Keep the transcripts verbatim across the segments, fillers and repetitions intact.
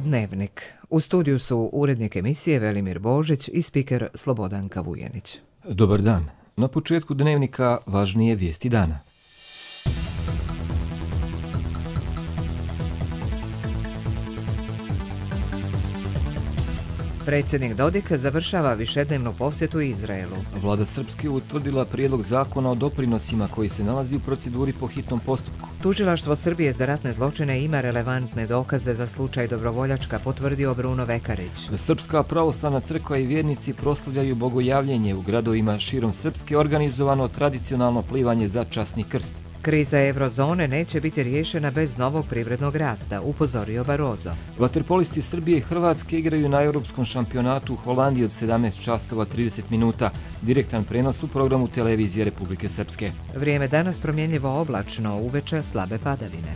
Dnevnik. U studiju su urednik emisije Velimir Božić i spiker Slobodanka Vujenić. Dobar dan. Na početku Dnevnika važnije vijesti dana. Predsjednik Dodik završava višednevnu posjetu Izraelu. Vlada Srpske utvrdila prijedlog zakona o doprinosima koji se nalazi u proceduri po hitnom postupku. Tužilaštvo Srbije za ratne zločine ima relevantne dokaze za slučaj Dobrovoljačka, potvrdio Bruno Vekarić. Srpska pravoslavna crkva i vjernici proslavljaju bogojavljenje u gradovima širom Srpske, organizovano tradicionalno plivanje za časni krst. Kriza eurozone neće biti riješena bez novog privrednog rasta, upozorio Barroso. Vaterpolisti Srbije i Hrvatske igraju na europskom šampionatu u Holandiji od sedamnaest časova trideset minuta. Direktan prenos u programu televizije Republike Srpske. Vrijeme danas promjenljivo oblačno, uveče slabe padavine.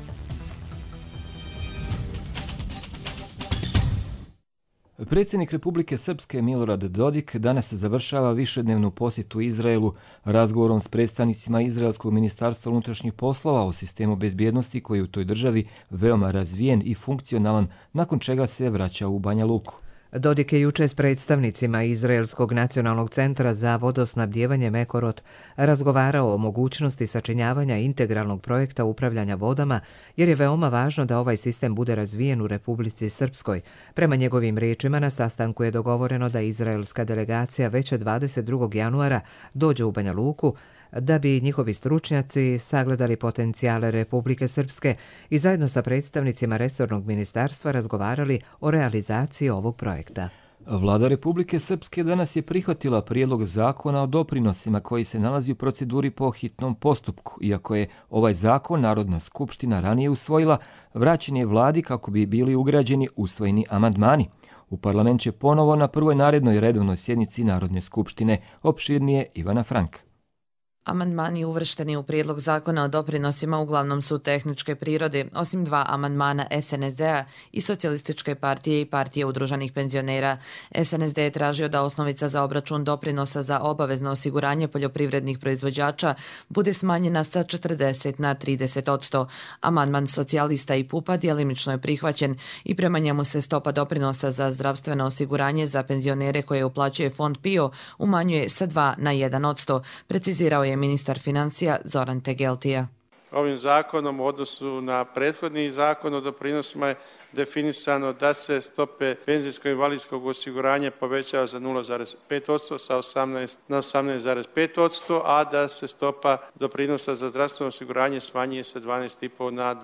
Predsjednik Republike Srpske Milorad Dodik danas završava višednevnu posjetu Izraelu razgovorom s predstavnicima Izraelskog ministarstva unutrašnjih poslova o sistemu bezbjednosti koji je u toj državi veoma razvijen i funkcionalan, nakon čega se vraća u Banja Luku. Dodik je juče s predstavnicima Izraelskog nacionalnog centra za vodosnabdijevanje Mekorot razgovarao o mogućnosti sačinjavanja integralnog projekta upravljanja vodama, jer je veoma važno da ovaj sistem bude razvijen u Republici Srpskoj. Prema njegovim riječima, na sastanku je dogovoreno da izraelska delegacija već dvadeset drugog januara dođe u Banja Luku, da bi njihovi stručnjaci sagledali potencijale Republike Srpske i zajedno sa predstavnicima resornog ministarstva razgovarali o realizaciji ovog projekta. Vlada Republike Srpske danas je prihvatila prijedlog zakona o doprinosima koji se nalazi u proceduri po hitnom postupku. Iako je ovaj zakon Narodna skupština ranije usvojila, vraćen je vladi kako bi bili ugrađeni usvojeni amandmani. U parlament će ponovo na prvoj narednoj redovnoj sjednici Narodne skupštine. Opširnije Ivana Frank. Amandmani uvršteni u prijedlog zakona o doprinosima uglavnom su tehničke prirode, osim dva amandmana S N S D-a i Socijalističke partije i Partije udruženih penzionera. S N S D je tražio da osnovica za obračun doprinosa za obavezno osiguranje poljoprivrednih proizvođača bude smanjena sa četrdeset na trideset odsto. Amandman socijalista i Pupa djelimično je prihvaćen i prema njemu se stopa doprinosa za zdravstveno osiguranje za penzionere koje uplaćuje fond P I O umanjuje sa dva na jedan odsto, precizirao je ministar financija Zoran Tegeltija. Ovim zakonom u odnosu na prethodni zakon o doprinosima je definisano da se stope penzijsko-invalidskog osiguranja povećava za nula zarez pet odsto sa osamnaest na osamnaest zarez pet odsto, a da se stopa doprinosa za zdravstveno osiguranje smanjuje sa dvanaest zarez pet na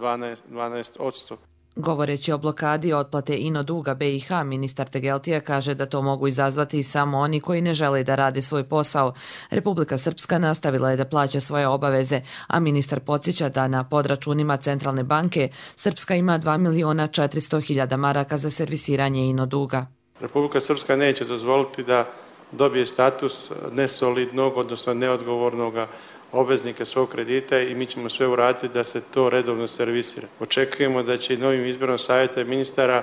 dvanaest odsto. Govoreći o blokadi otplate ino duga B i H, ministar Tegeltija kaže da to mogu izazvati samo oni koji ne žele da rade svoj posao. Republika Srpska nastavila je da plaća svoje obaveze, a ministar podsjeća da na podračunima Centralne banke Srpska ima dva miliona četiristo hiljada maraka za servisiranje ino duga. Republika Srpska neće dozvoliti da dobije status nesolidnog, odnosno neodgovornog obveznika svog kredita i mi ćemo sve uraditi da se to redovno servisira. Očekujemo da će i novim izborom savjeta ministara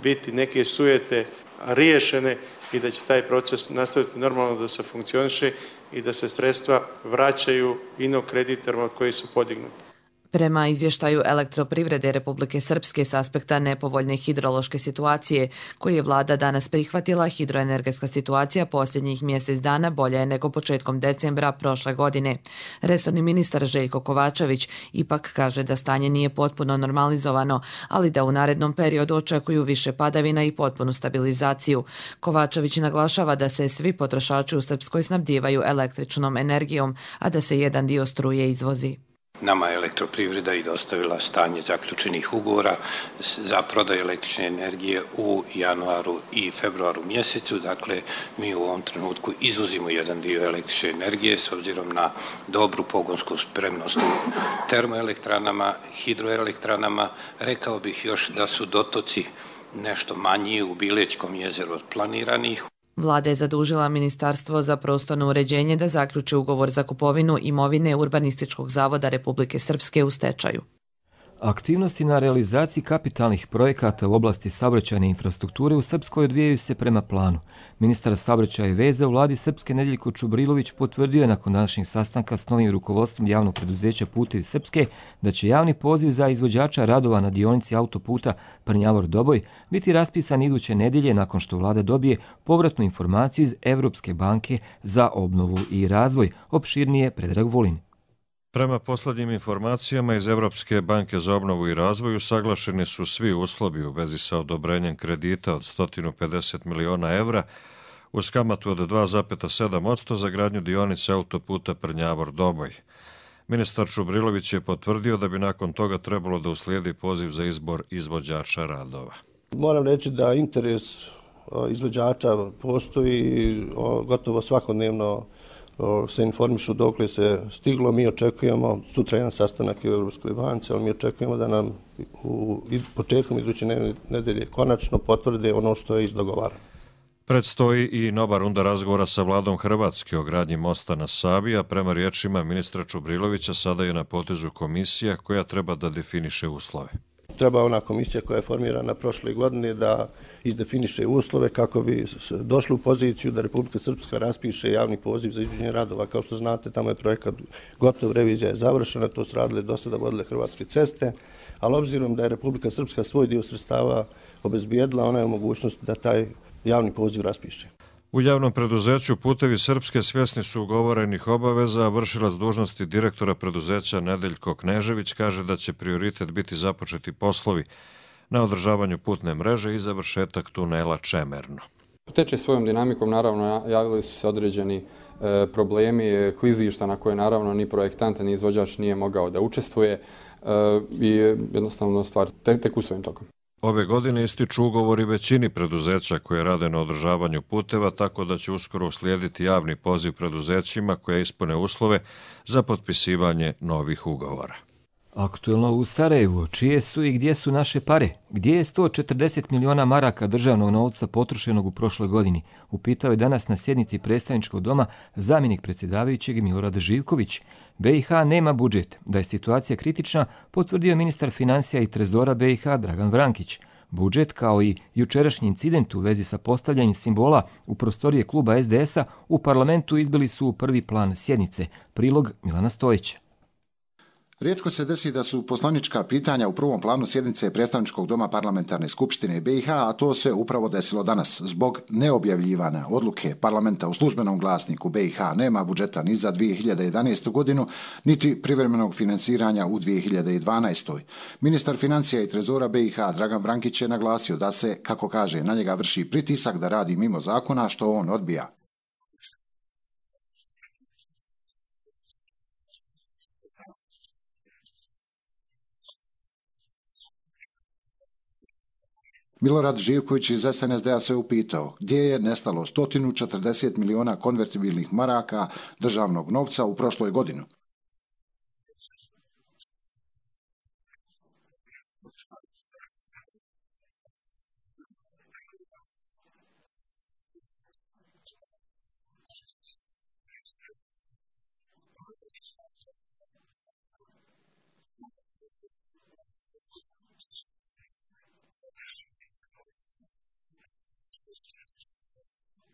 biti neke sujete riješene i da će taj proces nastaviti normalno da se funkcioniše i da se sredstva vraćaju ino kreditorima od koji su podignuti. Prema izvještaju Elektroprivrede Republike Srpske s aspekta nepovoljne hidrološke situacije, koju je vlada danas prihvatila, hidroenergetska situacija posljednjih mjesec dana bolja je nego početkom decembra prošle godine. Resorni ministar Željko Kovačević ipak kaže da stanje nije potpuno normalizovano, ali da u narednom periodu očekuju više padavina i potpunu stabilizaciju. Kovačević naglašava da se svi potrošači u Srpskoj snabdijevaju električnom energijom, a da se jedan dio struje izvozi. Nama je Elektroprivreda i dostavila stanje zaključenih ugovora za prodaju električne energije u januaru i februaru mjesecu. Dakle, mi u ovom trenutku izvozimo jedan dio električne energije s obzirom na dobru pogonsku spremnost u termoelektranama, hidroelektranama. Rekao bih još da su dotoci nešto manji u Bilećkom jezeru od planiranih. Vlada je zadužila Ministarstvo za prostorno uređenje da zaključi ugovor za kupovinu imovine Urbanističkog zavoda Republike Srpske u stečaju. Aktivnosti na realizaciji kapitalnih projekata u oblasti saobraćajne infrastrukture u Srpskoj odvijaju se prema planu. Ministar saobraćaja i veze u vladi Srpske Nedeljko Čubrilović potvrdio je nakon današnjeg sastanka s novim rukovodstvom javnog preduzeća Putevi Srpske da će javni poziv za izvođača radova na dionici autoputa Prnjavor-Doboj biti raspisan iduće nedjelje nakon što vlada dobije povratnu informaciju iz Evropske banke za obnovu i razvoj. Opširnije Predrag Vulin. Prema posljednjim informacijama iz Evropske banke za obnovu i razvoj usaglašeni su svi uslovi u vezi sa odobrenjem kredita od sto pedeset miliona evra uz kamatu od dva zarez sedam posto za gradnju dionice autoputa Prnjavor-Doboj. Ministar Čubrilović je potvrdio da bi nakon toga trebalo da uslijedi poziv za izbor izvođača radova. Moram reći da interes izvođača postoji gotovo svakodnevno. Se informišu dokle se stiglo. Mi očekujemo, sutra jedan sastanak u Evropskoj banci, ali mi očekujemo da nam u početkom iduće nedelje konačno potvrde ono što je izdogovarano. Predstoji i nova runda razgovora sa vladom Hrvatske o gradnji mosta na Savi, a prema riječima ministra Čubrilovića sada je na potezu komisija koja treba da definiše uslove. Treba ona komisija koja je formirana prošle godine da izdefiniše uslove kako bi došli u poziciju da Republika Srpska raspiše javni poziv za izvođenje radova. Kao što znate, tamo je projekat gotov, revizija je završena, to su radile do sada vodile Hrvatske ceste, ali obzirom da je Republika Srpska svoj dio sredstava obezbijedila, ona je u mogućnosti da taj javni poziv raspiše. U javnom preduzeću Putevi Srpske svjesni su ugovorenih obaveza, a vršilac dužnosti direktora preduzeća Nedeljko Knežević kaže da će prioritet biti započeti poslovi na održavanju putne mreže i završetak tunela Čemerno. Teče svojom dinamikom, naravno, javili su se određeni e, problemi klizišta na koje naravno ni projektant ni izvođač nije mogao da učestvuje e, i jednostavno stvar tek, tek u svojim tokom. Ove godine ističu ugovori većini preduzeća koje rade na održavanju puteva, tako da će uskoro uslijediti javni poziv preduzećima koje ispune uslove za potpisivanje novih ugovora. Aktuelno u Sarajevu, čije su i gdje su naše pare? Gdje je sto četrdeset miliona maraka državnog novca potrošenog u prošloj godini? Upitao je danas na sjednici predstavničkog doma zamjenik predsjedavajućeg Milorad Živković. B i H nema budžet. Da je situacija kritična, potvrdio ministar financija i trezora B i H Dragan Vrankić. Budžet, kao i jučerašnji incident u vezi sa postavljanjem simbola u prostorije kluba S D S-a u parlamentu izbili su u prvi plan sjednice. Prilog Milana Stojića. Rijetko se desi da su poslanička pitanja u prvom planu sjednice predstavničkog doma parlamentarne skupštine B i H, a to se upravo desilo danas. Zbog neobjavljivanja odluke parlamenta u službenom glasniku B i H nema budžeta ni za dvije hiljade jedanaestu godinu, niti privremenog financiranja u dvije hiljade dvanaestoj. Ministar financija i trezora B i H Dragan Vrankić je naglasio da se, kako kaže, na njega vrši pritisak da radi mimo zakona, što on odbija. Milorad Živković iz S N S D-a se upitao gdje je nestalo sto četrdeset miliona konvertibilnih maraka državnog novca u prošloj godini.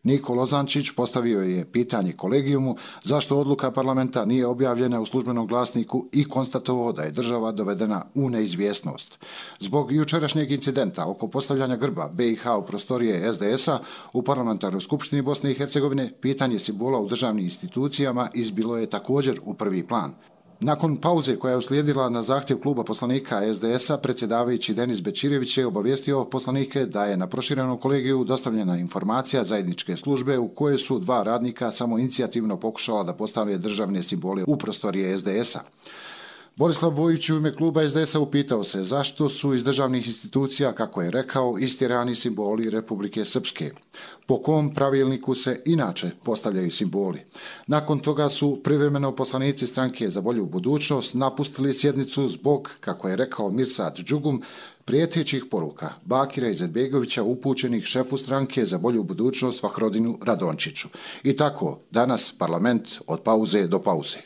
Niko Lozančić postavio je pitanje kolegijumu zašto odluka parlamenta nije objavljena u službenom glasniku i konstatovao da je država dovedena u neizvjesnost. Zbog jučerašnjeg incidenta oko postavljanja grba B i H u prostorije S D S-a u parlamentarnoj skupštini Bosne i Hercegovine, pitanje simbola u državnim institucijama izbilo je također u prvi plan. Nakon pauze koja je uslijedila na zahtjev kluba poslanika S D S-a, predsjedavajući Denis Bečirević je obavijestio poslanike da je na proširenom kolegiju dostavljena informacija zajedničke službe u kojoj su dva radnika samoinicijativno pokušala da postave državne simbole u prostorije S D S-a. Borislav Bojić u ime kluba S D S-a upitao se zašto su iz državnih institucija, kako je rekao, istjerani simboli Republike Srpske. Po kom pravilniku se inače postavljaju simboli. Nakon toga su privremeno poslanici stranke za bolju budućnost napustili sjednicu zbog, kako je rekao Mirsad Džugum, prijetećih poruka Bakira Izetbegovića upućenih šefu stranke za bolju budućnost Vahrodinu Radončiću. I tako, danas parlament od pauze do pauze.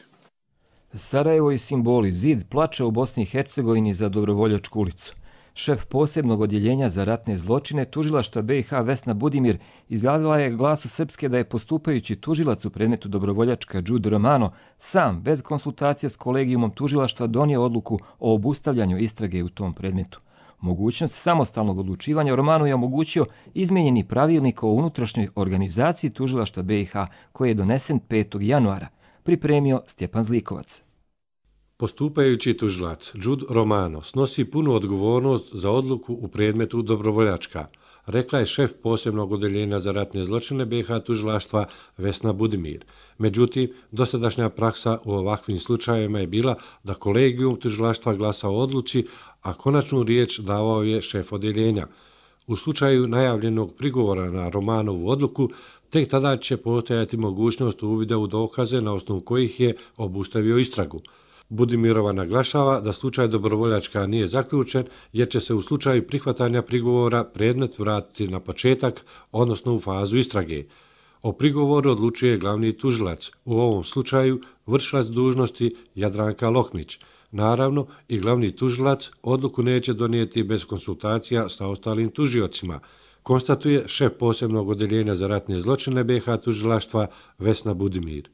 Sarajevo i simboli, zid plače u Bosni i Hercegovini za Dobrovoljačku ulicu. Šef posebnog odjeljenja za ratne zločine tužilaštva B i H Vesna Budimir izjavila je Glasu Srpske da je postupajući tužilac u predmetu Dobrovoljačka Đudo Romano sam, bez konsultacije s kolegijumom tužilaštva, donio odluku o obustavljanju istrage u tom predmetu. Mogućnost samostalnog odlučivanja o Romanu je omogućio izmijenjeni pravilnik o unutrašnjoj organizaciji tužilaštva B i H koji je donesen petog januara, pripremio Stjepan Zlikovac. Postupajući tužilac Đudo Romano snosi punu odgovornost za odluku u predmetu Dobrovoljačka, rekla je šef posebnog odeljenja za ratne zločine B i H tužilaštva Vesna Budimir. Međutim, dosadašnja praksa u ovakvim slučajevima je bila da kolegijum tužilaštva glasa o odluci, a konačnu riječ davao je šef odeljenja. U slučaju najavljenog prigovora na Romanovu odluku, tek tada će postojati mogućnost uvida u dokaze na osnovu kojih je obustavio istragu. Budimirova naglašava da slučaj Dobrovoljačka nije zaključen jer će se u slučaju prihvatanja prigovora predmet vratiti na početak, odnosno u fazu istrage. O prigovoru odlučuje glavni tužilac, u ovom slučaju vršilac dužnosti Jadranka Loknić. Naravno, i glavni tužilac odluku neće donijeti bez konsultacija sa ostalim tužiocima, konstatuje šef posebnog odeljenja za ratne zločine B i H tužilaštva Vesna Budimir.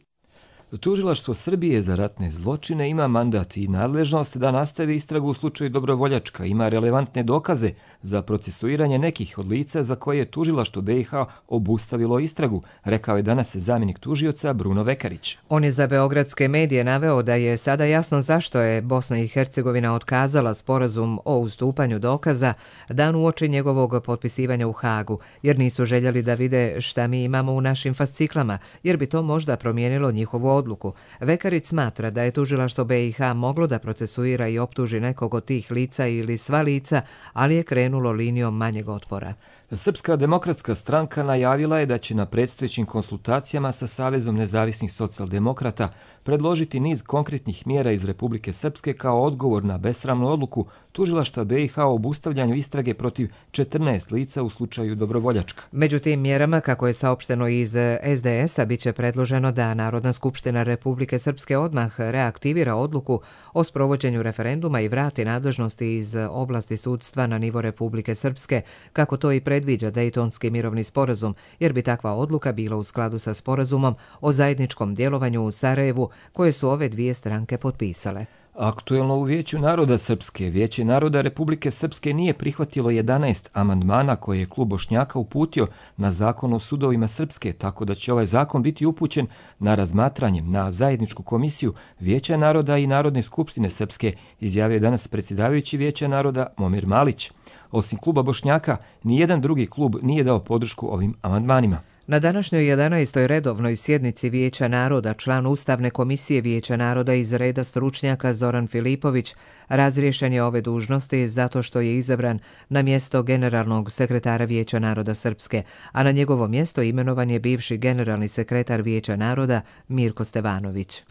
Tužilaštvo Srbije za ratne zločine ima mandat i nadležnost da nastavi istragu u slučaju Dobrovoljačka, ima relevantne dokaze za procesuiranje nekih od lica za koje je tužilaštvo B i H obustavilo istragu, rekao je danas zamjenik tužioca Bruno Vekarić. On je za beogradske medije naveo da je sada jasno zašto je Bosna i Hercegovina otkazala sporazum o ustupanju dokaza dan uoči njegovog potpisivanja u Hagu, jer nisu željeli da vide šta mi imamo u našim fasciklama, jer bi to možda promijenilo njihovu odluku. Vekarić smatra da je tužilaštvo B i H moglo da procesuira i optuži nekog od tih lica ili sva lica, ali je krenulo linijom manjeg otpora. Srpska demokratska stranka najavila je da će na predstojećim konsultacijama sa Savezom nezavisnih socijaldemokrata predložiti niz konkretnih mjera iz Republike Srpske kao odgovor na besramnu odluku tužilaštva B i H o obustavljanju istrage protiv četrnaest lica u slučaju Dobrovoljačka. Među tim mjerama, kako je saopšteno iz S D S-a, biće predloženo da Narodna skupština Republike Srpske odmah reaktivira odluku o sprovođenju referenduma i vrati nadležnosti iz oblasti sudstva na nivo Republike Srpske, kako to i predviđa Dejtonski mirovni sporazum, jer bi takva odluka bila u skladu sa sporazumom o zajedničkom djelovanju u Sarajevu, koje su ove dvije stranke potpisale. Aktuelno u Vijeću naroda Srpske, Vijeće naroda Republike Srpske nije prihvatilo jedanaest amandmana koje je klub Bošnjaka uputio na zakon o sudovima Srpske, tako da će ovaj zakon biti upućen na razmatranje na zajedničku komisiju Vijeća naroda i Narodne skupštine Srpske, izjavio danas predsjedavajući Vijeća naroda Momir Malić. Osim kluba Bošnjaka, nijedan drugi klub nije dao podršku ovim amandmanima. Na današnjoj jedanaestoj redovnoj sjednici Vijeća naroda član Ustavne komisije Vijeća naroda iz reda stručnjaka Zoran Filipović razriješen je ove dužnosti zato što je izabran na mjesto generalnog sekretara Vijeća naroda Srpske, a na njegovo mjesto imenovan je bivši generalni sekretar Vijeća naroda Mirko Stevanović.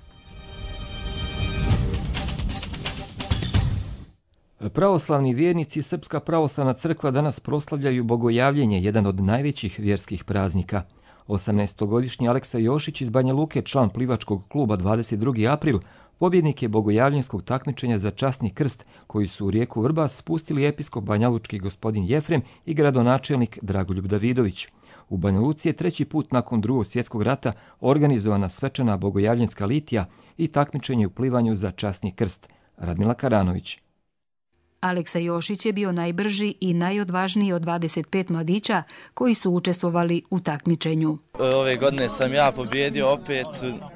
Pravoslavni vjernici Srpska pravoslavna crkva danas proslavljaju Bogojavljenje, jedan od najvećih vjerskih praznika. osamnaestogodišnji Aleksa Jošić iz Banja Luke, član plivačkog kluba dvadeset drugi april, pobjednik je bogojavljenskog takmičenja za časni krst, koji su u rijeku Vrbas spustili episkop banjalučki gospodin Jefrem i gradonačelnik Dragoljub Davidović. U Banja Luci je treći put nakon drugog svjetskog rata organizovana svečana bogojavljenska litija i takmičenje u plivanju za časni krst. Radmila Karanović. Aleksa Jošić je bio najbrži i najodvažniji od dvadeset pet mladića koji su učestvovali u takmičenju. Ove godine sam ja pobjedio opet,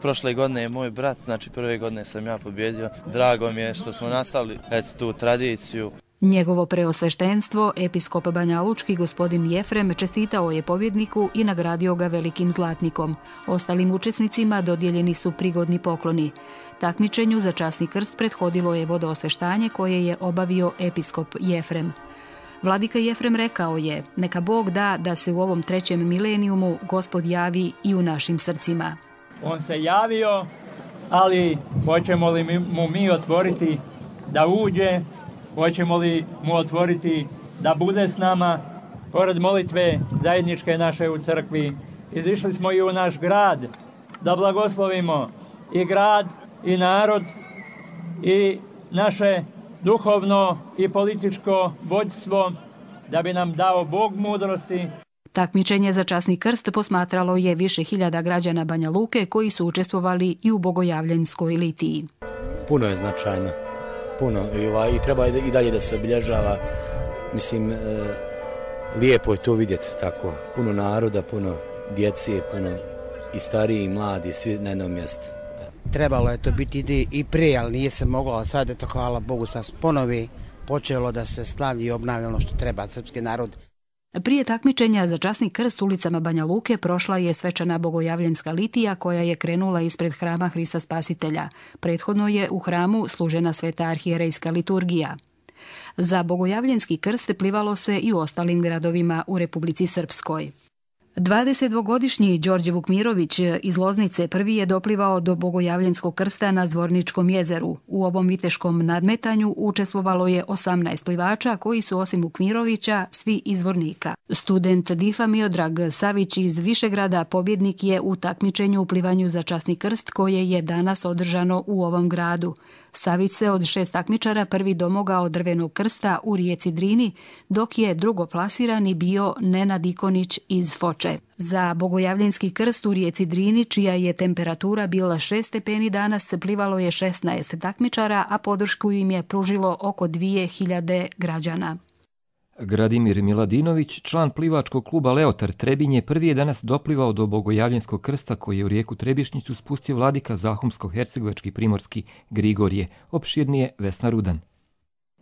prošle godine je moj brat, znači prve godine sam ja pobjedio. Drago mi je što smo nastavili eto, tu tradiciju. Njegovo preosveštenstvo, episkop banjalučki gospodin Jefrem, čestitao je pobjedniku i nagradio ga velikim zlatnikom. Ostalim učesnicima dodijeljeni su prigodni pokloni. Takmičenju za časni krst prethodilo je vodoosveštanje koje je obavio episkop Jefrem. Vladika Jefrem rekao je, neka Bog da da se u ovom trećem milenijumu Gospod javi i u našim srcima. On se javio, ali hoćemo li mu mi otvoriti da uđe? Hoćemo li mu otvoriti da bude s nama? Pored molitve zajedničke naše u crkvi, izišli smo i u naš grad da blagoslovimo i grad i narod i naše duhovno i političko vođstvo da bi nam dao Bog mudrosti. Takmičenje za časni krst posmatralo je više hiljada građana Banja Luke koji su učestvovali i u bogojavljanskoj litiji. Puno je značajno, puno i, ovaj, i treba i dalje da se obilježava. Mislim, e, lijepo je to vidjeti tako, puno naroda, puno djece, puno i stariji i mladi, svi na jednom mjestu. Trebalo je to biti i prije, ali nije se moglo, ali sad je to, hvala Bogu, sad ponovi počelo da se slavi i obnavi ono što treba srpski narod. Prije takmičenja za časni krst ulicama Banja Luke prošla je svečana bogojavljanska litija koja je krenula ispred hrama Hrista Spasitelja. Prethodno je u hramu služena sveta arhijerejska liturgija. Za bogojavljanski krst plivalo se i u ostalim gradovima u Republici Srpskoj. dvadesetdvogodišnji Đorđe Vukmirović iz Loznice prvi je doplivao do bogojavljanskog krsta na Zvorničkom jezeru. U ovom viteškom nadmetanju učestvovalo je osamnaest plivača koji su osim Vukmirovića svi iz Zvornika. Student Difa Miodrag Savić iz Višegrada pobjednik je u takmičenju u plivanju za časni krst koje je danas održano u ovom gradu. Savić se od šest takmičara prvi domogao drvenog krsta u rijeci Drini, dok je drugoplasirani bio Nenad Ikonić iz Foče. Za bogojavljanski krst u rijeci Drini, čija je temperatura bila šest stepeni danas, plivalo je šesnaest takmičara, a podršku im je pružilo oko dvije hiljade građana. Gradimir Miladinović, član plivačkog kluba Leotar Trebinje, prvi je danas doplivao do bogojavljanskog krsta koji je u rijeku Trebišnjicu spustio vladika Zahumsko-hercegovački primorski Grigorije. Opširnije Vesna Rudan.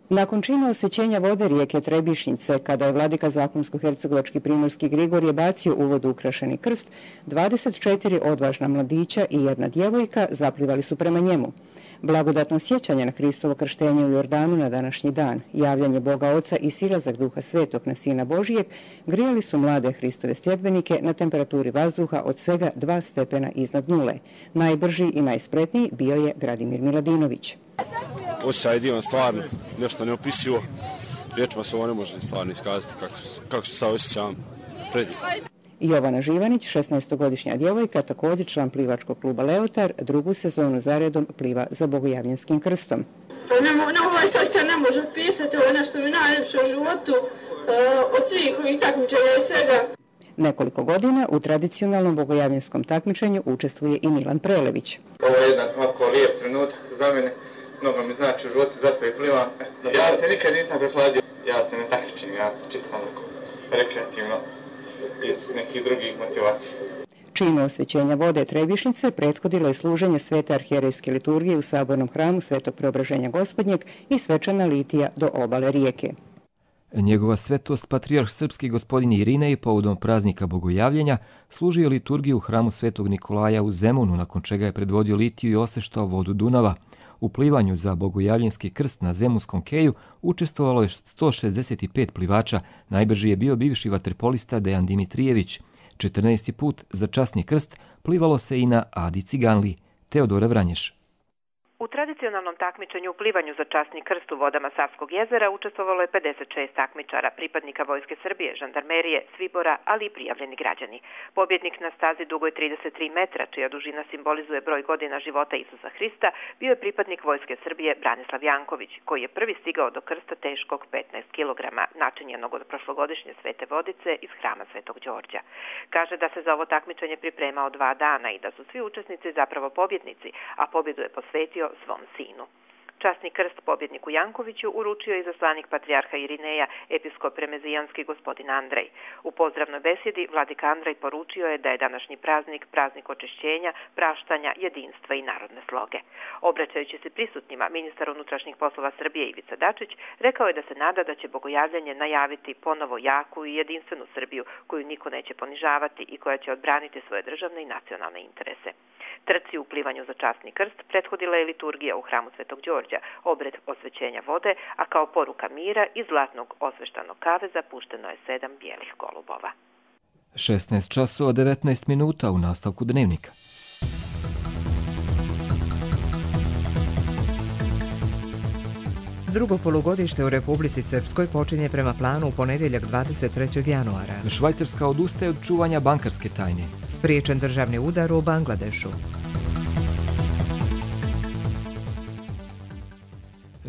Nakon čina osvećenja vode rijeke Trebišnjice, kada je vladika Zahumsko-hercegovački primorski Grigorije bacio u vodu ukrašeni krst, dvadeset četiri odvažna mladića i jedna djevojka zaplivali su prema njemu. Blagodatno sjećanje na Hristovo krštenje u Jordanu na današnji dan, javljanje Boga Oca i silazak Duha Svetog na Sina Božijeg grijali su mlade Hristove sljedbenike na temperaturi vazduha od svega dva stepena iznad nule. Najbrži i najspretniji bio je Gradimir Miladinović. Osjećaj je divan, stvarno, nešto neopisivo. Riječima se ovo ne može stvarno iskazati kako, kako se sad osjećam pred njim. Jovana Živanić, šesnaestogodišnja djevojka, također član plivačkog kluba Leotar, drugu sezonu zaredom pliva za bogojavljanskim krstom. Ne, ne, ovaj osjećaj ne može opisati, ovo je nešto mi najljepše u životu, od svih ovih takmičenja i svega. Nekoliko godina u tradicionalnom bogojavljanskom takmičenju učestvuje i Milan Prelević. Ovo je jedan ovako lijep trenutak za mene, mnogo mi znači u životu, zato i plivam. Ja se nikad nisam prehladio, ja se ne takmičim, ja čisto onako rekreativno iz nekih drugih motivacija. Činu osvećenja vode Trebišnjice prethodilo je služenje svete arhijerejske liturgije u sabornom hramu Svetog Preobraženja Gospodnjeg i svečana litija do obale rijeke. Njegova svetost, patrijarh srpski gospodin Irinej, povodom praznika bogojavljenja, služio liturgiju u hramu Svetog Nikolaja u Zemunu, nakon čega je predvodio litiju i oseštao vodu Dunava. U plivanju za bogojavljanski krst na Zemunskom keju učestvovalo je sto šezdeset pet plivača, najbrži je bio bivši vaterpolista Dejan Dimitrijević. četrnaesti put za časni krst plivalo se i na Adi Ciganli. Teodora Vranješ. U tradicionalnom takmičenju u plivanju za časni krst u vodama Savskog jezera učestvovalo je pedeset šest takmičara, pripadnika Vojske Srbije, žandarmerije, svibora, ali i prijavljeni građani. Pobjednik na stazi dugoj trideset tri metra, čija dužina simbolizuje broj godina života Isusa Hrista, bio je pripadnik Vojske Srbije Branislav Janković, koji je prvi stigao do krsta teškog petnaest kilograma, načinjenog od prošlogodišnje svete vodice iz hrama Svetog Đorđa. Kaže da se za ovo takmičenje pripremao dva dana i da su svi učesnici zapravo pobjednici, a pobjedu je posvetio svom sinu. Časni krst pobjedniku Jankoviću uručio je izaslanik patrijarha Irineja, episkop remezijanski gospodin Andrej. U pozdravnoj besjedi vladika Andrej poručio je da je današnji praznik praznik očišćenja, praštanja, jedinstva i narodne sloge. Obraćajući se prisutnima, ministar unutrašnjih poslova Srbije Ivica Dačić rekao je da se nada da će bogojavljanje najaviti ponovo jaku i jedinstvenu Srbiju koju niko neće ponižavati i koja će odbraniti svoje državne i nacionalne interese. Trci u plivanju za časni krst prethodila je liturgija u hramu Svetog Đorđa, obred osvećenja vode, a kao poruka mira iz zlatnog osveštanog kaveza pušteno je sedam bijelih golubova. šesnaest časova devetnaest minuta u nastavku dnevnika. Drugo polugodište u Republici Srpskoj počinje prema planu u ponedjeljak dvadeset trećeg januara. Švajcarska odustaje od čuvanja bankarske tajne. Spriječen državni udar u Bangladešu.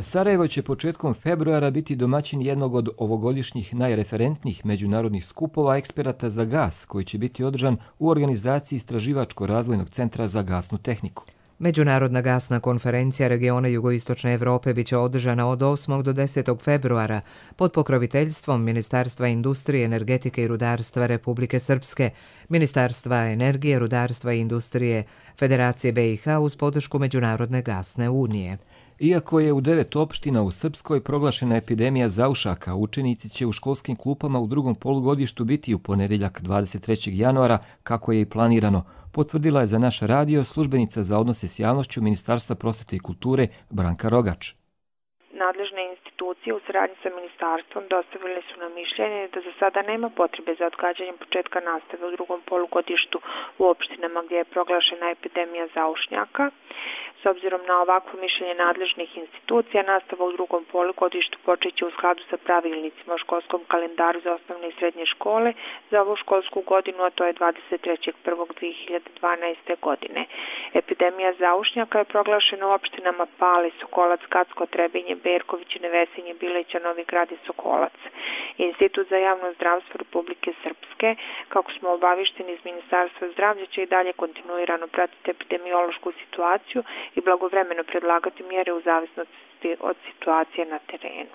Sarajevo će početkom februara biti domaćin jednog od ovogodišnjih najreferentnijih međunarodnih skupova eksperata za gas, koji će biti održan u organizaciji Istraživačko-razvojnog centra za gasnu tehniku. Međunarodna gasna konferencija regiona Jugoistočne Evrope biće održana od osmog do desetog februara pod pokroviteljstvom Ministarstva industrije, energetike i rudarstva Republike Srpske, Ministarstva energije, rudarstva i industrije Federacije B i H uz podršku Međunarodne gasne unije. Iako je u devet opština u Srpskoj proglašena epidemija zaušaka, učenici će u školskim klupama u drugom polugodištu biti u ponedjeljak dvadeset trećeg januara, kako je i planirano, potvrdila je za naš radio službenica za odnose s javnošću Ministarstva prosvete i kulture Branka Rogač. Nadležne institucije u saradnji sa ministarstvom dostavile su nam mišljenje da za sada nema potrebe za odgađanjem početka nastave u drugom polugodištu u opštinama gdje je proglašena epidemija zaušnjaka. S obzirom na ovakvo mišljenje nadležnih institucija, nastava u drugom polugodištu počeće u skladu sa pravilnicima o školskom kalendaru za osnovne i srednje škole za ovu školsku godinu, a to je dvadeset trećeg prvog dve hiljade dvanaeste. godine. Epidemija zaušnjaka je proglašena u opštinama Pali, Sokolac, Gacko, Trebinje, Berković, Nevesinje, Bileća, Novi Grad i Sokolac. Institut za javno zdravstvo Republike Srpske, kako smo obavišteni iz Ministarstva zdravlja, će i dalje kontinuirano pratiti epidemiološku situaciju i blagovremeno predlagati mjere u zavisnosti od situacije na terenu.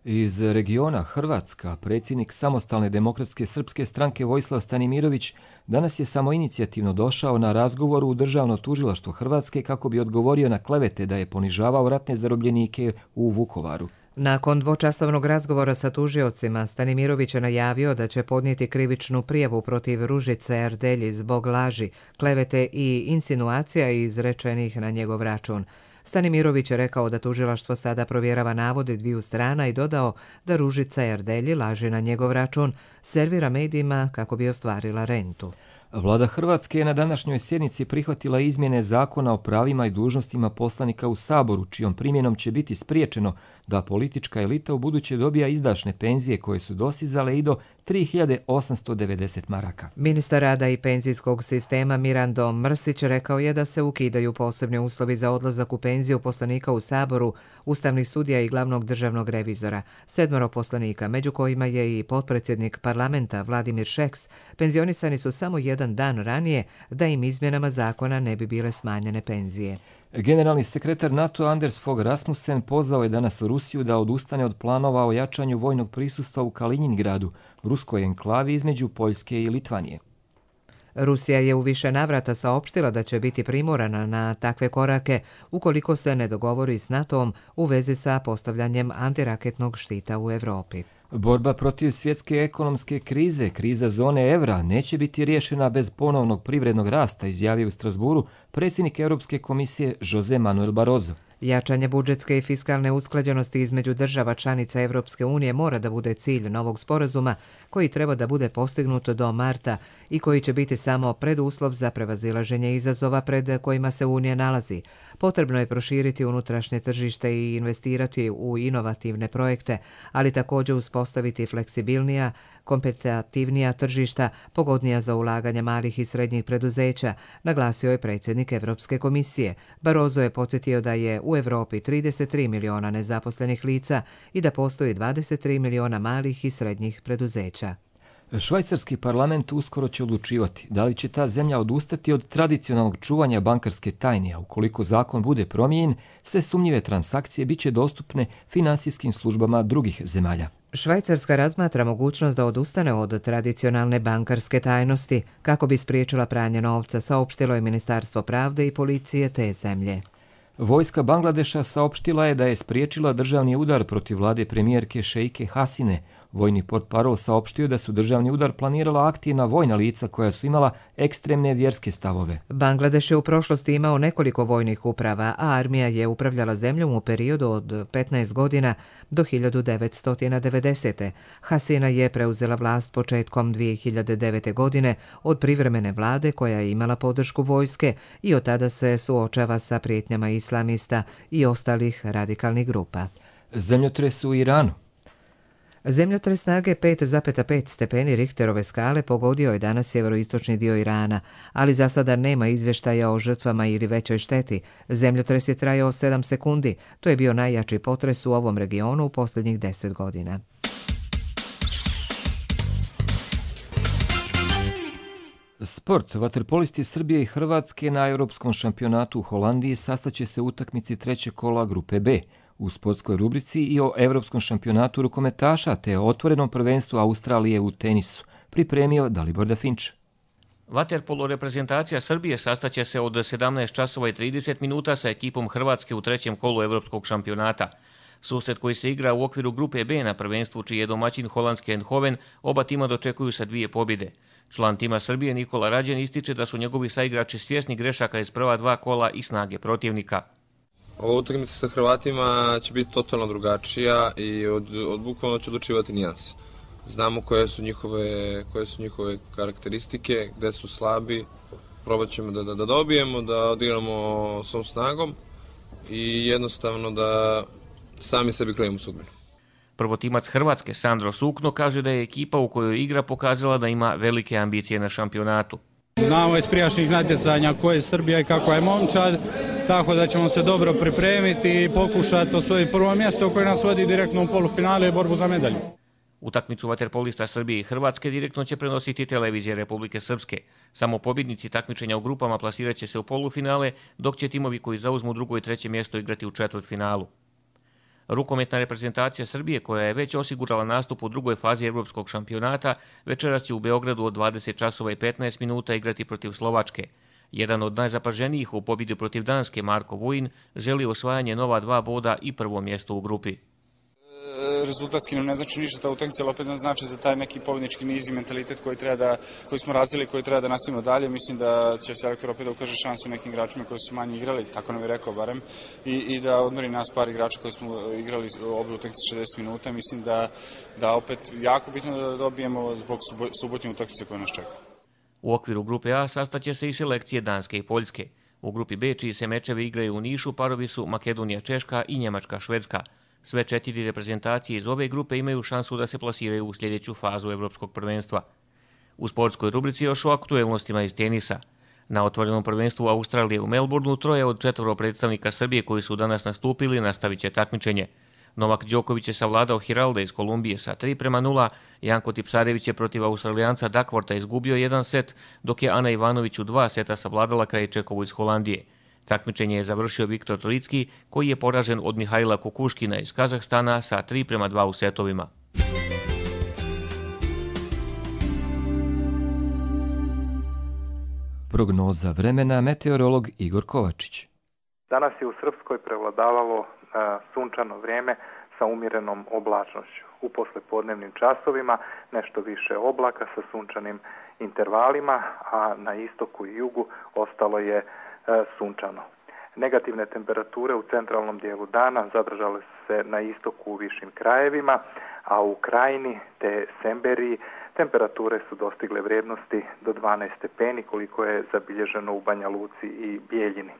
Iz regiona Hrvatska, predsjednik Samostalne demokratske srpske stranke Vojislav Stanimirović danas je samoinicijativno došao na razgovor u Državno tužilaštvo Hrvatske kako bi odgovorio na klevete da je ponižavao ratne zarobljenike u Vukovaru. Nakon dvočasovnog razgovora sa tužiocima, Stanimirović je najavio da će podnijeti krivičnu prijavu protiv Ružice Erdelji zbog laži, klevete i insinuacija izrečenih na njegov račun. Stanimirović je rekao da tužilaštvo sada provjerava navode dviju strana i dodao da Ružica Erdelji laži na njegov račun, servira medijima kako bi ostvarila rentu. Vlada Hrvatske je na današnjoj sjednici prihvatila izmjene zakona o pravima i dužnostima poslanika u Saboru, čijom primjenom će biti spriječeno da politička elita u buduće dobija izdašne penzije koje su dosizale i do tri hiljade osamsto devedeset maraka. Ministar rada i penzijskog sistema Mirando Mrsić rekao je da se ukidaju posebni uslovi za odlazak u penziju poslanika u Saboru, ustavnih sudija i glavnog državnog revizora. Sedmoro poslanika, među kojima je i potpredsjednik parlamenta Vladimir Šeks, penzionisani su samo jedan dan ranije da im izmjenama zakona ne bi bile smanjene penzije. Generalni sekretar NATO Anders Fogh Rasmussen pozvao je danas Rusiju da odustane od planova o jačanju vojnog prisustva u Kaliningradu, ruskoj enklavi između Poljske i Litvanije. Rusija je u više navrata saopštila da će biti primorana na takve korake ukoliko se ne dogovori s NATO-om u vezi sa postavljanjem antiraketnog štita u Evropi. Borba protiv svjetske ekonomske krize, kriza zone evra, neće biti riješena bez ponovnog privrednog rasta, izjavio u Strasburu predsjednik Europske komisije Jose Manuel Barroso. Jačanje budžetske i fiskalne usklađenosti između država članica Evropske unije mora da bude cilj novog sporazuma koji treba da bude postignut do marta i koji će biti samo preduslov za prevazilaženje izazova pred kojima se Unija nalazi. Potrebno je proširiti unutrašnje tržište i investirati u inovativne projekte, ali također uspostaviti fleksibilnija, kompetitivnija tržišta, pogodnija za ulaganje malih i srednjih preduzeća, naglasio je predsjednik Evropske komisije. Barroso je podsjetio da je u Evropi trideset tri miliona nezaposlenih lica i da postoji dvadeset tri miliona malih i srednjih preduzeća. Švajcarski parlament uskoro će odlučivati da li će ta zemlja odustati od tradicionalnog čuvanja bankarske tajne, a ukoliko zakon bude promijenjen, sve sumnjive transakcije bit će dostupne finansijskim službama drugih zemalja. Švajcarska razmatra mogućnost da odustane od tradicionalne bankarske tajnosti kako bi spriječila pranje novca, saopštilo je Ministarstvo pravde i policije te zemlje. Vojska Bangladeša saopštila je da je spriječila državni udar protiv vlade premijerke Šeike Hasine. Vojni portparol saopštio da su državni udar planirala aktivna vojna lica koja su imala ekstremne vjerske stavove. Bangladeš je u prošlosti imao nekoliko vojnih uprava, a armija je upravljala zemljom u periodu od petnaest godina do hiljadu devetsto devedesete. Hasina je preuzela vlast početkom dvije hiljade devete. godine od privremene vlade koja je imala podršku vojske i od tada se suočava sa prijetnjama islamista i ostalih radikalnih grupa. Zemljotres u Iranu. Zemljotres snage pet zarez pet stepeni Richterove skale pogodio je danas sjeveroistočni dio Irana, ali za sada nema izvještaja o žrtvama ili većoj šteti. Zemljotres je trajao sedam sekundi. To je bio najjači potres u ovom regionu u posljednjih deset godina. Sport. Vaterpolisti Srbije i Hrvatske na Europskom šampionatu u Holandiji sastaće se u utakmici trećeg kola grupe B. U sportskoj rubrici i o Europskom šampionatu rukometaša te o otvorenom prvenstvu Australije u tenisu pripremio Dalibor Dafinč. Vaterpolo reprezentacija Srbije sastaće se od sedamnaest časova i trideset minuta sa ekipom Hrvatske u trećem kolu Europskog šampionata. Susret koji se igra u okviru grupe B na prvenstvu čiji je domaćin holandski Eindhoven, oba tima dočekuju sa dvije pobjede. Član tima Srbije Nikola Rađen ističe da su njegovi saigrači svjesni grešaka iz prva dva kola i snage protivnika. Ova utakmica sa Hrvatima će biti totalno drugačija i od, od bukvalno će odlučivati nijanse. Znamo koje su njihove, koje su njihove karakteristike, gde su slabi, probat ćemo da, da, da dobijemo, da odigramo svom snagom i jednostavno da sami sebi krenemo sudbinu. Prvotimac Hrvatske Sandro Sukno kaže da je ekipa u kojoj igra pokazala da ima velike ambicije na šampionatu. Znamo iz prijašnjih natjecanja koje je Srbija i kako je momčad, tako da ćemo se dobro pripremiti i pokušati osvojiti prvo mjesto koje nas vodi direktno u polufinale i borbu za medalju. Utakmicu vaterpolista Srbije i Hrvatske direktno će prenositi televizija Republike Srpske. Samo pobjednici takmičenja u grupama plasirat će se u polufinale, dok će timovi koji zauzmu drugo i treće mjesto igrati u četvrtfinalu. Rukometna reprezentacija Srbije, koja je već osigurala nastup u drugoj fazi Evropskog šampionata, večeras će u Beogradu od dvadeset časova i petnaest minuta igrati protiv Slovačke. Jedan od najzapaženijih u pobjedi protiv Danske, Marko Vujin, želi osvajanje nova dva boda i prvo mjesto u grupi. Rezultatski nam ne znači ništa ta utakmica, ali opet nam znači za taj neki pobjednički niz i mentalitet koji, treba da, koji smo razvili, koji treba da nastavimo dalje. Mislim da će selektor opet da ukaže šansu nekim igračima koji su manje igrali, tako nam je rekao barem, i, i da odmori nas par igrača koji smo igrali obe utakmice šezdeset minuta. Mislim da, da opet jako bitno da dobijemo zbog subotnje utakmice koje nas čeka. U okviru grupe A sastaće se i selekcije Danske i Poljske. U grupi B, čiji se mečevi igraju u Nišu, parovi su Makedonija Češka i Njemačka Švedska. Sve četiri reprezentacije iz ove grupe imaju šansu da se plasiraju u sljedeću fazu Evropskog prvenstva. U sportskoj rubrici još o aktuelnostima iz tenisa. Na otvorenom prvenstvu Australije u Melbourneu troje od četvoro predstavnika Srbije koji su danas nastupili nastavit će takmičenje. Novak Đoković je savladao Hiralda iz Kolumbije sa tri prema nula, Janko Tipsarević je protiv Australijanca Duckwortha izgubio jedan set, dok je Ana Ivanović u dva seta savladala Krajčekovu iz Holandije. Takmičenje je završio Viktor Trojicki, koji je poražen od Mihajla Kukuškina iz Kazahstana sa tri prema dva u setovima. Prognoza vremena, meteorolog Igor Kovačić. Danas je u Srpskoj prevladavalo a, sunčano vrijeme sa umjerenom oblačnošću. U poslepodnevnim časovima nešto više oblaka sa sunčanim intervalima, a na istoku i jugu ostalo je e, sunčano. Negativne temperature u centralnom dijelu dana zadržale su se na istoku u višim krajevima, a u Krajini te Semberiji temperature su dostigle vrijednosti do dvanaest stepeni koliko je zabilježeno u Banja Luci i Bijeljini.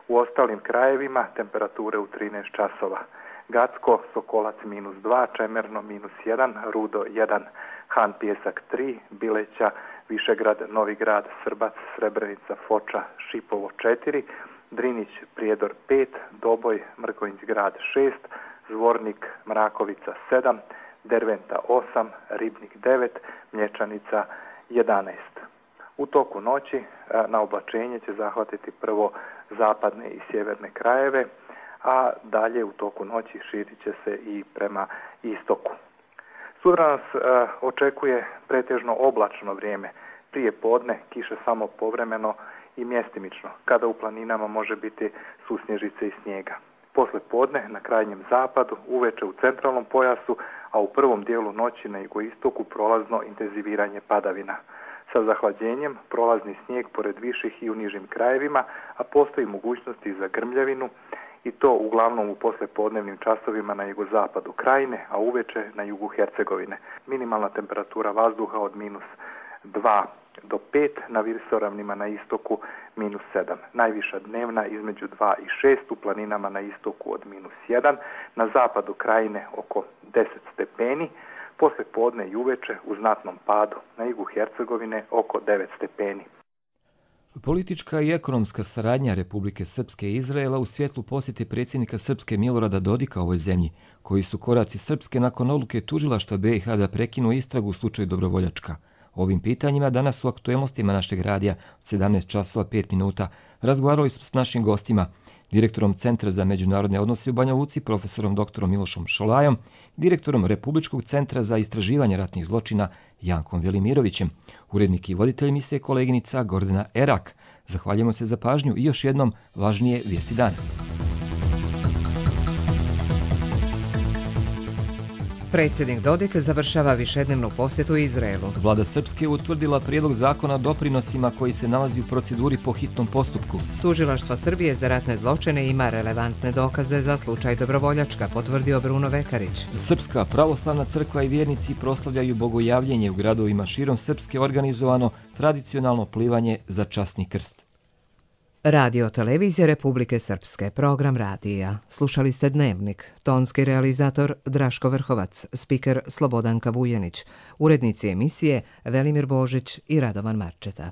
U ostalim krajevima temperature u trinaest časova. Gacko, Sokolac minus dva, Čemerno minus jedan, Rudo jedan, Han Pijesak tri, Bileća, Višegrad, Novi Grad, Srbac, Srebrenica, Foča, Šipovo četiri, Drinić, Prijedor pet, Doboj, Mrkonjić Grad šest, Zvornik, Mrakovica sedam, Derventa osam, Ribnik devet, Mlječanica jedanaest. U toku noći na oblačenje će zahvatiti prvo zapadne i sjeverne krajeve, a dalje u toku noći širit će se i prema istoku. Sutra nas e, očekuje pretežno oblačno vrijeme, prije podne kiše samo povremeno i mjestimično, kada u planinama može biti susnježice i snijega. Posle podne na krajnjem zapadu, uveče u centralnom pojasu, a u prvom dijelu noći na jugoistoku prolazno intenziviranje padavina. Sa zahlađenjem prolazni snijeg pored viših i u nižim krajevima, a postoji mogućnosti za grmljavinu i to uglavnom u poslepodnevnim časovima na jugozapadu Krajine, a uveče na jugu Hercegovine. Minimalna temperatura vazduha od minus dva do pet, na visoravnima na istoku minus sedam. Najviša dnevna između dva i šest, u planinama na istoku od minus jedan, na zapadu Krajine oko deset stepeni, Posle podne i uveče u znatnom padu, na jugu Hercegovine oko devet stepeni. Politička i ekonomska saradnja Republike Srpske i Izraela u svjetlu posjete predsjednika Srpske Milorada Dodika ovoj zemlji, koji su koraci Srpske nakon odluke tužilaštva B i H da prekinu istragu u slučaju Dobrovoljačka. O ovim pitanjima danas u aktuelnostima našeg radija od sedamnaest časova pet minuta razgovarali smo s našim gostima, direktorom Centra za međunarodne odnose u Banja Luci, profesorom doktorom Milošom Šolajom, direktorom Republičkog centra za istraživanje ratnih zločina Jankom Velimirovićem, urednik i voditelj emisije koleginica Gordana Erak. Zahvaljujemo se za pažnju i još jednom važnije vijesti dana. Predsjednik Dodik završava višednevnu posjetu Izraelu. Vlada Srpske utvrdila prijedlog zakona o doprinosima koji se nalazi u proceduri po hitnom postupku. Tužilaštvo Srbije za ratne zločine ima relevantne dokaze za slučaj Dobrovoljačka, potvrdio Bruno Vekarić. Srpska pravoslavna crkva i vjernici proslavljaju bogojavljenje u gradovima širom Srpske, organizovano tradicionalno plivanje za časni krst. Radio televizija Republike Srpske, program radija. Slušali ste Dnevnik, tonski realizator Draško Vrhovac, spiker Slobodanka Vujanić, urednici emisije Velimir Božić i Radovan Marčeta.